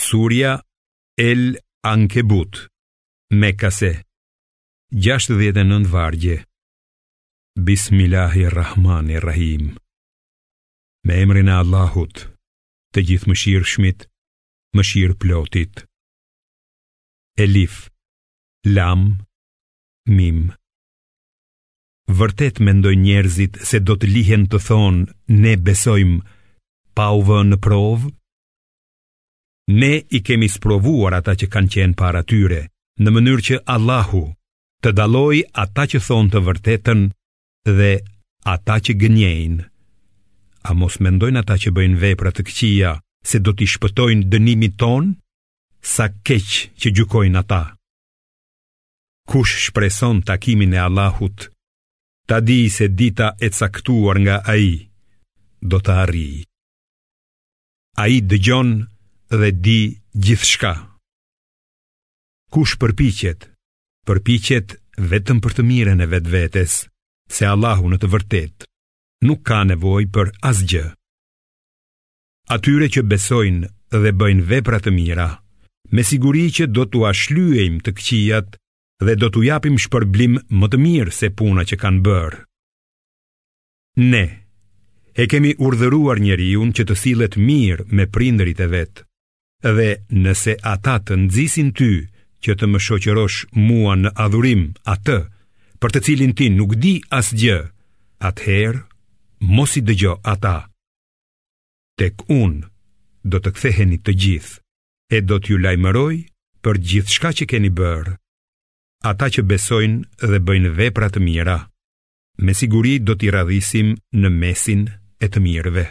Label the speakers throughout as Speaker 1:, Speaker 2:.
Speaker 1: Surja El Ankebut, Mekase, 69 vargje. Bismillahirrahmanirrahim. Me emrin e Allahut, të Gjithëmëshirshmit, mëshirëplotit. Elif, Lam, Mim. Vërtet mendojnë njerëzit se do të lihen të thonë ne besojmë pa u vënë në provë? Ne i kemi sprovuar ata që kanë qenë para tyre, në mënyrë që Allahu të dallojë ata që thonë të vërtetën dhe ata që gënjejnë. A mos mendojnë ata që bëjnë vepra të këqija se do t'i shpëtojnë dënimit tonë? Sa keq që gjykojnë ata. Kush shpreson takimin e Allahut, ta dijë se dita e caktuar nga ai do të arrijë. Ai dëgjon dhe di gjithçka. Kush përpiqet, përpiqet vetëm për të mirën e vetvetes, se Allahu në të vërtetë nuk ka nevojë për asgjë. Atyre që besojnë dhe bëjnë vepra të mira, me siguri që do t'ua shlyejmë të këqijat dhe do t'u japim shpërblim më të mirë se puna që kanë bërë. Ne e kemi urdhëruar njeriun që të sillet mirë me prindërit e vet dhe nëse ata të nxisin ty që të më shoqërosh mua në adhurim atë për të cilin ti nuk di asgjë, atëherë mos i dëgjo ata. Tek unë do të ktheheni të gjithë e do t'ju lajmëroj për gjithçka që keni bërë. Ata që besojnë dhe bëjnë vepra të mira, me siguri do t'i radhisim në mesin e të mirëve.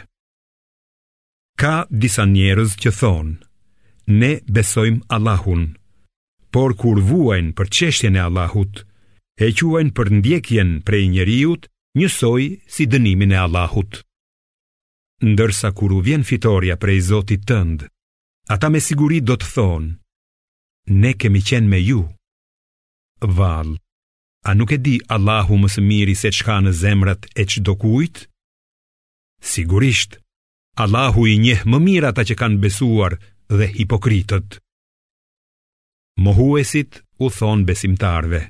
Speaker 1: Ka disa njerëz që thonë, ne besojmë Allahun, por kur vuajnë për çështjen e Allahut, e quajnë përndjekjen prej njeriut njësoj si dënimin e Allahut. Ndërsa kur u vjen fitorja prej Zotit tënd, ata me siguri do të thonë, ne kemi qenë me ju. Vallë, a nuk e di Allahu më së miri se ç'ka në zemrat e çdokujt? Sigurisht, Allahu i njeh më mirë ata që kanë besuar dhe hipokritët. Mohuesit u thonë besimtarëve,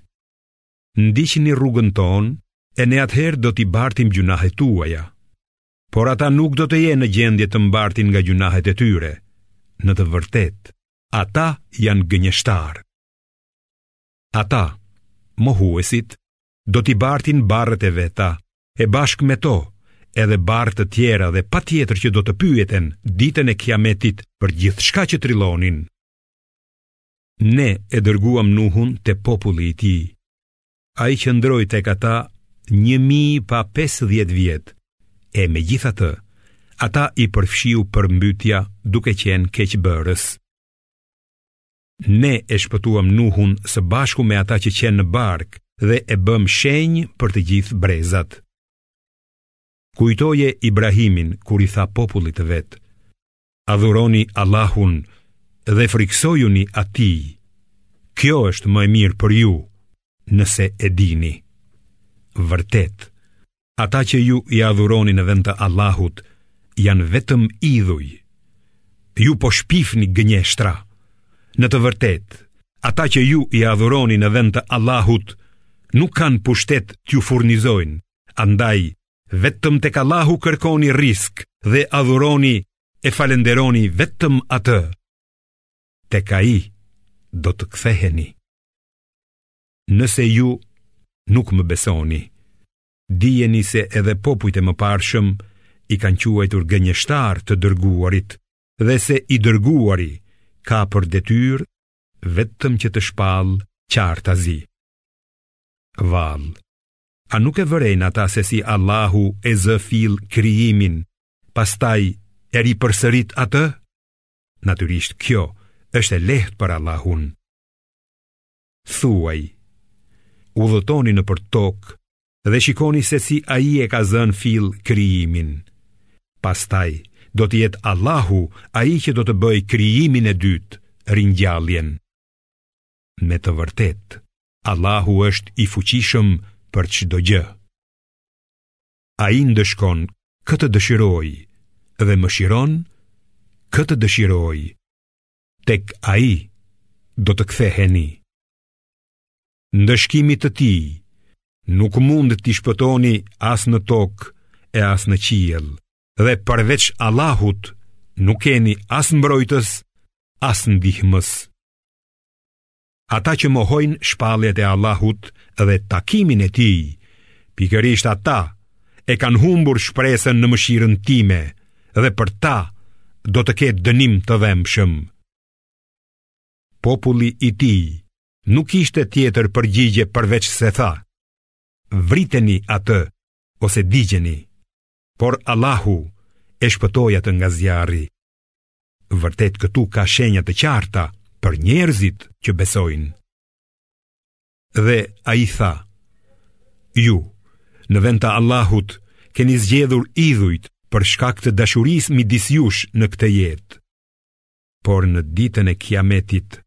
Speaker 1: ndiqni rrugën tonë e ne atëherë do t'i bartim gjynahet tuaja. Por ata nuk do të jenë në gjendje të mbartin nga gjynahet e tyre. Në të vërtetë, ata janë gënjeshtarë. Ata, mohuesit, do t'i bartin barrët e veta, e bashkë me to, edhe barrë të tjera dhe patjetër që do të pyeten ditën e kiametit për gjithçka që trillonin. Ne e dërguam Nuhun te populli i tij. Ai qëndroi tek ata 1000 pa 50 vjet, e megjithatë, ata i përfshiu përmbytja duke qenë keqbërës. Ne e shpëtuam Nuhun së bashku me ata që qenë në barkë dhe e bëmë shenjë për të gjithë brezat. Kujtoje Ibrahimin kur i tha popullit të vet, adhuroni Allahun dhe frikësojuni atij. Kjo është më e mirë për ju, nëse e dini. Vërtet, ata që ju i adhuroni në vend të Allahut janë vetëm idhuj. Ju po shpifni gënjeshtra. Në të vërtetë, ata që ju i adhuroni në vend të Allahut nuk kanë pushtet t'ju furnizojnë, andaj Vetëm tek Allahu kërkoni rrisk dhe adhuroni e falënderoni vetëm atë. Tek ai do të ktheheni. Nëse ju nuk më besoni, dijeni se edhe popujt e mëparshëm i kanë quajtur gënjeshtarë të dërguarit dhe se i dërguari ka për detyrë vetëm që të shpallë qartazi. Vallë, A nuk e vërejnë ata se si Allahu e zë fill krijimin, pastaj e ripërsërit atë? Natyrisht kjo është e lehtë për Allahun. Thuaj, udhëtoni nëpër tokë dhe shikoni se si ai e ka zënë fill krijimin. Pastaj, do të jetë Allahu ai që do të bëjë krijimin e dytë, ringjalljen. Me të vërtetë, Allahu është i fuqishëm për çdo gjë. Ai ndëshkon kë të dëshirojë dhe mëshiron kë të dëshirojë. Tek ai do të ktheheni. Ndëshkimit të tij nuk mund t'i shpëtoni as në tokë e as në qiell dhe përveç Allahut nuk keni as mbrojtës, as ndihmës. Ata që mohojnë shpalljet e Allahut dhe takimin e tij, pikërisht ata e kanë humbur shpresën në mëshirën time dhe për ta do të ketë dënim të dhembshëm. Populli i tij nuk kishte tjetër përgjigje përveç se tha, vriteni atë ose digjeni, por Allahu e shpëtoi atë nga zjarri. Vërtet këtu ka shenja të qarta për njerëzit që besojnë. Dhe ai tha, ju, në vend të Allahut, keni zgjedhur idhujt për shkak të dashurisë midis jush në këtë jetë. Por në ditën e kiametit,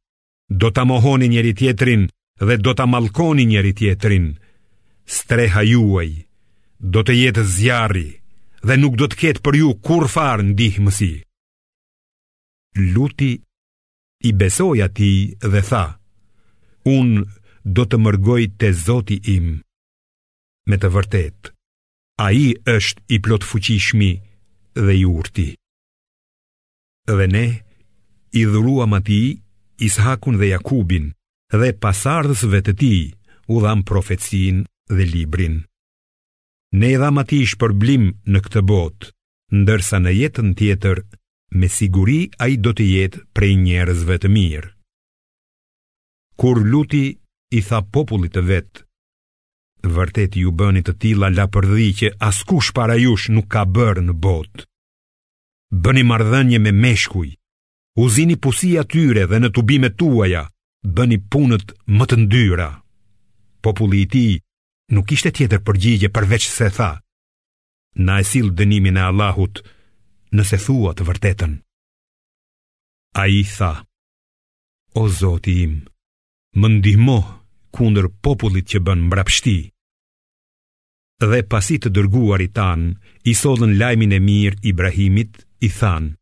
Speaker 1: do ta mohoni njëri-tjetrin dhe do ta mallkoni njëri-tjetrin. Streha juaj do të jetë zjarri dhe nuk do të ketë për ju kurrfarë ndihmësi. Luti i besoi atij dhe tha, unë do të mërgoj te Zoti im. Me të vërtetë, ai është i plotfuqishmi dhe i urti. Dhe ne i dhuruam atij Is'hakun dhe Jakubin dhe pasardhësve të tij u dhamë profecinë dhe librin. Ne i dhamë atij shpërblim në këtë botë, ndërsa në jetën tjetër me siguri ai do të jetë prej njerëzve të mirë. Kur Luti i tha popullit të vet, vërtet ju bëni të tilla lapërdhi që askush para jush nuk ka bërë në botë. Bëni marrëdhënie me meshkuj, u zini pusi atyre dhe në tubimet tuaja, bëni punët më të ndyra. Populli i tij nuk kishte tjetër përgjigje përveç se tha, na e sill dënimin e Allahut nëse thua të vërtetën. Ai tha, o Zoti im, më ndihmo kundër popullit që bën mbrapshti. Dhe pasi të dërguarit tanë i sollën lajmin e mirë Ibrahimit, i thanë,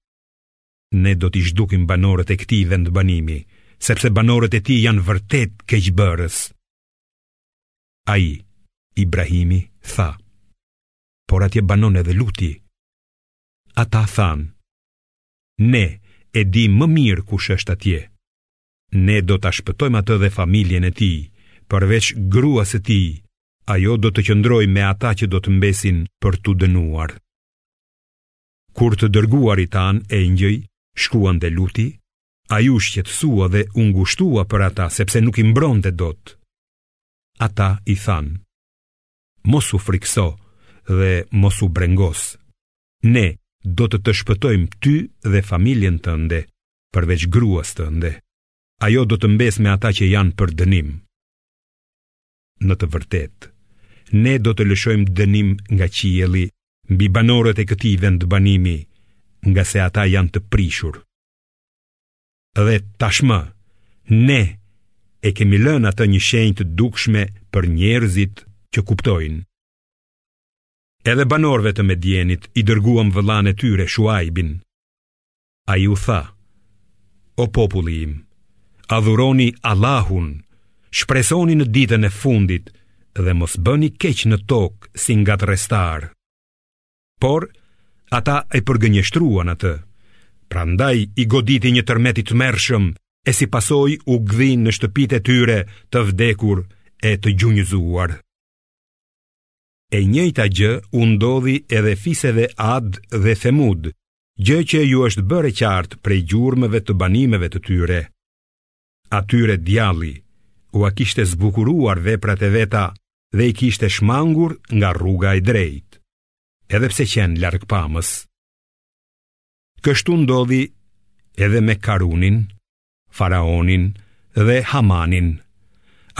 Speaker 1: ne do t'i zhdukim banorët e këtij vendbanimi, sepse banorët e tij janë vërtet keqbërës. Ai, Ibrahimi, tha, por atje banon edhe Luti. Ata thanë, ne e dimë më mirë kush është atje. Ne do ta shpëtojmë atë dhe familjen e tij, përveç gruas së tij, ajo do të qëndrojë me ata që do të mbesin për t'u dënuar. Kur të dërguarit tanë engjëj shkuan te Luti, ai u shqetësua dhe u ngushtua për ata sepse nuk i mbronte dot. Ata i thanë, mos u frikëso dhe mos u brengos. Ne do të të shpëtojmë ty dhe familjen tënde, përveç gruas tënde. Ajo do të mbesë me ata që janë për dënim. Në të vërtetë, ne do të lëshojmë dënim nga qielli mbi banorët e këtij vendbanimi, ngase ata janë të prishur. Dhe tashmë, ne e kemi lënë atë një shenjë të dukshme për njerëzit që kuptojnë. Edhe banorëve të Medjenit i dërguam vëllanë e tyre Shuajbin. Ai u tha, o populli im, adhuroni Allahun, shpresoni në ditën e fundit dhe mos bëni keq në tokë si ngatërrestarë. Por, ata e përgënjeshtruan atë, prandaj i goditi një tërmet i tmerrshëm e si pasojë u gdhinë në shtëpitë e tyre të vdekur e të gjunjëzuar. E njëjta gjë u ndodhi edhe fiseve Ad dhe Themud, gjë që ju është bërë e qartë prej gjurmëve të banimeve të tyre. Atyre djalli ua kishte zbukuruar veprat e veta dhe i kishte shmangur nga rruga e drejtë, edhe pse qenë largpamës. Kështu ndodhi edhe me Karunin, Faraonin dhe Hamanin.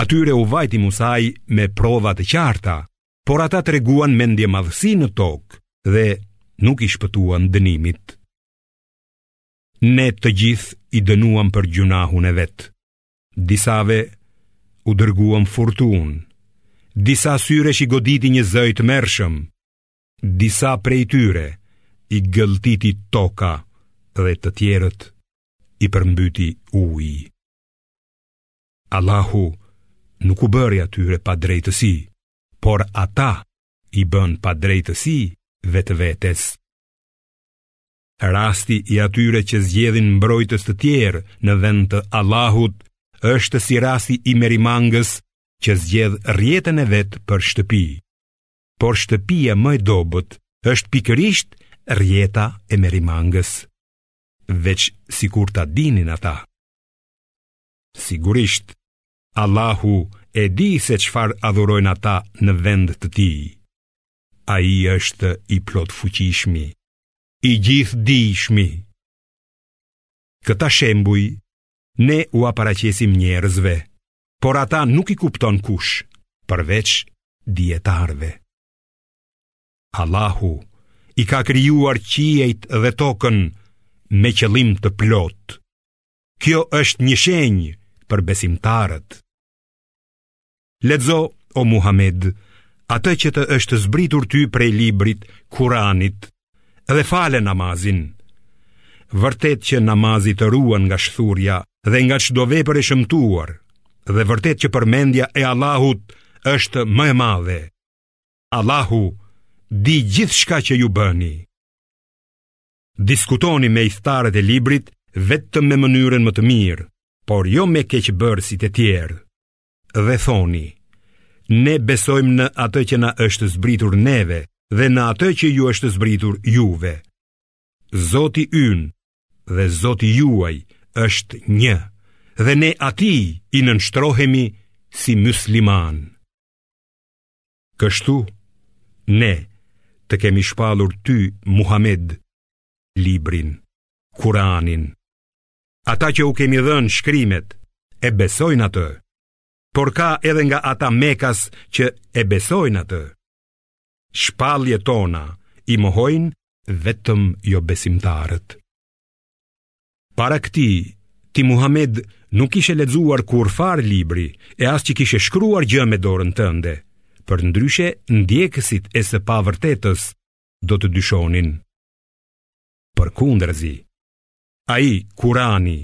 Speaker 1: Atyre u vajti Musai me prova të qarta, por ata treguan mendjemadhësi në tokë dhe nuk i shpëtuan dënimit. Ne të gjithë i dënuam për gjynahun e vet. Disave u dërguam furtunë, disa syresh i goditi një zë i tmerrshëm, disa prej tyre i gëlltiti toka dhe të tjerët. i përmbyti uji. Allahu nuk u bëri atyre padrejtësi, por ata i bënë padrejtësi vetvetes. Rasti i atyre që zgjedhin mbrojtës të tjerë në vend të Allahut është si rasti i merimangës që zgjedh rrjetën e vet për shtëpi. Por shtëpia më e dobët është pikërisht rrjeta e merimangës. Veç sikur ta dinin ata. Sigurisht, Allahu e di se çfarë adhurojnë ata në vend të tij. Ai është i plotfuqishmi, i gjithëdijshmi. Këta shembuj ne ua paraqesim njerëzve, por ata nuk i kupton kush, përveç dijetarëve. Allahu i ka krijuar qiejt dhe tokën me qëllim të plotë. Kjo është një shenjë për besimtarët. Lexo, o Muhamed, atë që të është zbritur ty prej librit, Kuranit, dhe fale namazin. Vërtet që namazi të ruan nga shthurja dhe nga çdo vepër e shëmtuar, dhe vërtet që përmendja e Allahut është më e madhe. Allahu di gjithçka që ju bëni. Diskutoni me ithtarët e librit vetëm me mënyrën më të mirë, por jo me keqbërësit e tjerë. Dhe thoni, ne besojmë në atë që na është zbritur neve dhe në atë që ju është zbritur juve. Zoti ynë dhe Zoti juaj është një dhe ne atij i nënshtrohemi si myslimanë. Kështu, ne të kemi shpallur ty, Muhamed, librin, Kuranin. Ata që u kemi dhënë shkrimet, e besojnë atë, por ka edhe nga ata mekas që e besojnë atë. Shpalljet tona i mohojnë vetëm jobesimtarët. Para këtij, ti Muhamed nuk kishe lexuar kurrfarë libri e as që kishe shkruar gjë me dorën tënde, përndryshe ndjekësit e së pavërtetës do të dyshonin. Përkundrazi, ai Kurani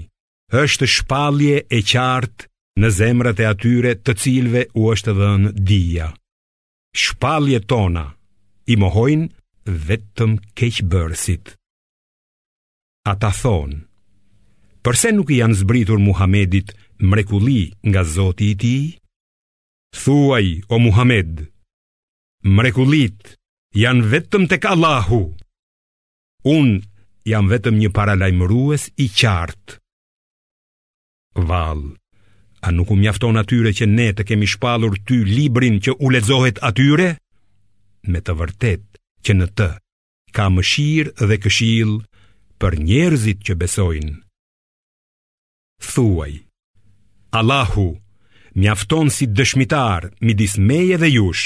Speaker 1: është shpallje e qartë në zemrat e atyre të cilëve u është dhënë dija. Shpalljet tona i mohojnë vetëm keqbërësit. Ata thonë, përse nuk i janë zbritur Muhamedit mrekulli nga Zoti i tij? Thuaj, o Muhamed, mrekullitë janë vetëm tek Allahu. Unë jam vetëm një paralajmërues i qartë. Vallë, a nuk u mjafton atyre që ne të kemi shpallur ty librin që u lexohet atyre? Me të vërtetë që në të ka mëshirë dhe këshillë për njerëzit që besojnë. Thuaj, Allahu mjafton si dëshmitar midis meje dhe jush.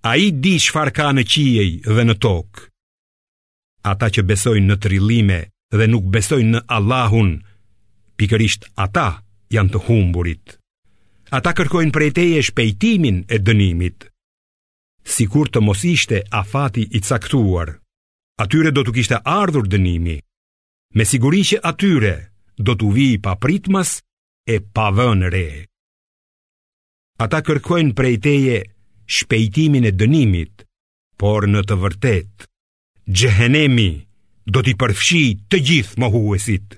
Speaker 1: Ai di çfarë ka në qiej dhe në tokë. Ata që besojnë në trillime dhe nuk besojnë në Allahun, pikërisht ata janë të humburit. Ata kërkojnë prej teje shpejtimin e dënimit. Sikur të mos ishte afati i caktuar, atyre do t'u kishte ardhur dënimi. Me siguri që atyre do t'u vijë papritmas e pa vënë re. Ata kërkojnë prej teje shpejtimin e dënimit, por në të vërtetë, xhehenemi do t'i përfshijë të gjithë mohuesit.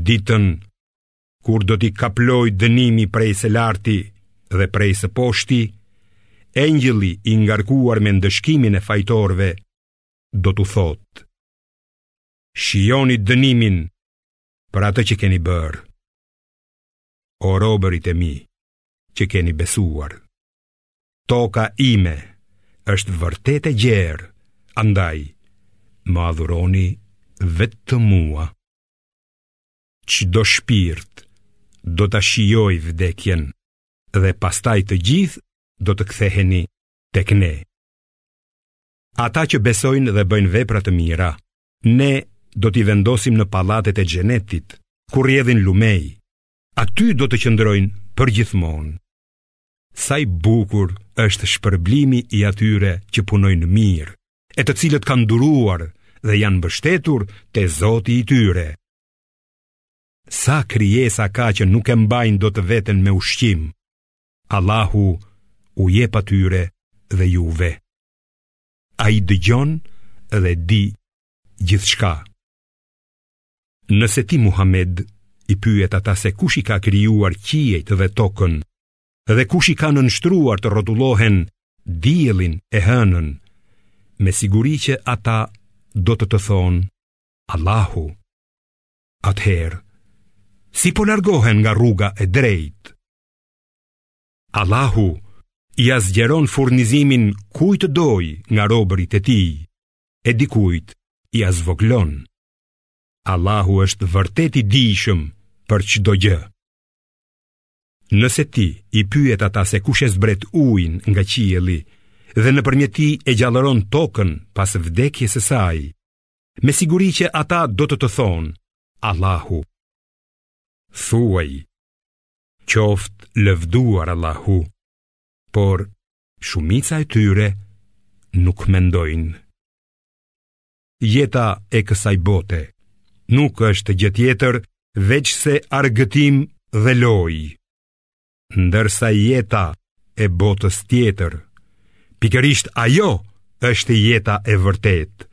Speaker 1: Ditën kur do t'i kaplojë dënimi prej së larti dhe prej së poshti, engjëlli i ngarkuar me ndëshkimin e fajtorëve do t'u thotë: Shijoni dënimin për atë që keni bërë. O robërit e mi që keni besuar. Toka ime është vërtet e gjerë, andaj më adhuroni vetëm mua. Çdo shpirt do ta shijojë vdekjen dhe pastaj të gjithë do të ktheheni tek ne. Ata që besojnë dhe bëjnë vepra të mira, ne do t'i vendosim në pallatet e xhenetit, ku rrjedhin lumenj. Aty do të qëndrojnë përgjithmonë. Sa i bukur është shpërblimi i atyre që punojnë mirë, e të cilët kanë duruar dhe janë mbështetur te Zoti i tyre. Sa krijesa ka që nuk e mbajnë dot veten me ushqim, Allahu u jep atyre dhe juve. Ai dëgjon dhe di gjithçka. Nëse ti Muhammed i pyet ata se kush i ka krijuar qiejt dhe tokën dhe kush i ka nënshtruar të rrotullohen diellin e hënën, me siguri që ata do të të thonë Allahu. Atëherë, si po largohen nga rruga e drejtë? Allahu ia zgjeron furnizimin kujt të dojë nga robërit e tij, e dikujt ia zvogëlon. Allahu është vërtet i dijshëm për çdo gjë. Nëse ti i pyet ata se kush e zbret ujin nga qielli dhe nëpërmjet tij e gjallëron tokën pas vdekjes së saj, me siguri që ata do të të thonë, Allahu. Thuaj, qoftë lëvduar Allahu, por shumica e tyre nuk mendojnë. Jeta e kësaj bote nuk është gjë tjetër veçse argëtim dhe lojë. Ndërsa jeta e botës tjetër, pikërisht ajo është jeta e vërtetë,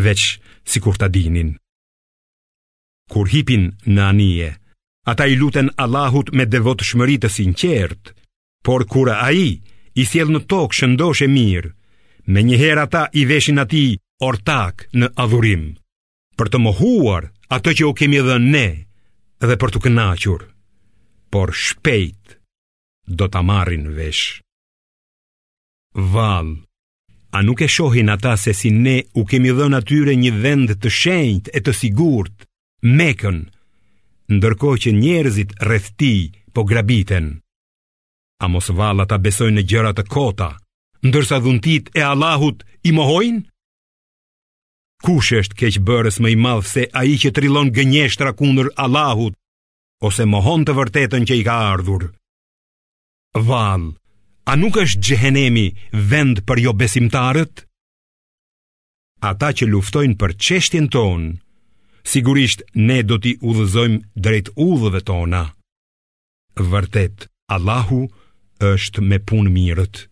Speaker 1: veç sikur ta dinin. Kur hipin në anije, ata i luten Allahut me devotshmëri të sinqertë, por kur ai i sjell në tokë shëndoshë e mirë, menjëherë ata i veshin atij ortakë në adhurim, për të mohuar atë që u kemi dhënë ne dhe për t'u kënaqur, por shpejt do ta marrin vesh. Vallë, a nuk e shohin ata se si ne u kemi dhënë atyre një vend të shenjtë e të sigurt, Mekën, ndërkohë që njerëzit rreth tij po grabiten. A mos vallë ata besojnë në gjëra të kota, ndërsa dhuntitë e Allahut i mohojnë? Kush është keqbërës më i madh se ai që trillon gënjeshtra kundër Allahut ose mohon të vërtetën që i ka ardhur? Vallë, a nuk është xhehenemi vend për jobesimtarët? Ata që luftojnë për çështjen tonë, sigurisht ne do t'i udhëzojmë drejt udhëve tona. Vërtet, Allahu është me punëmirët.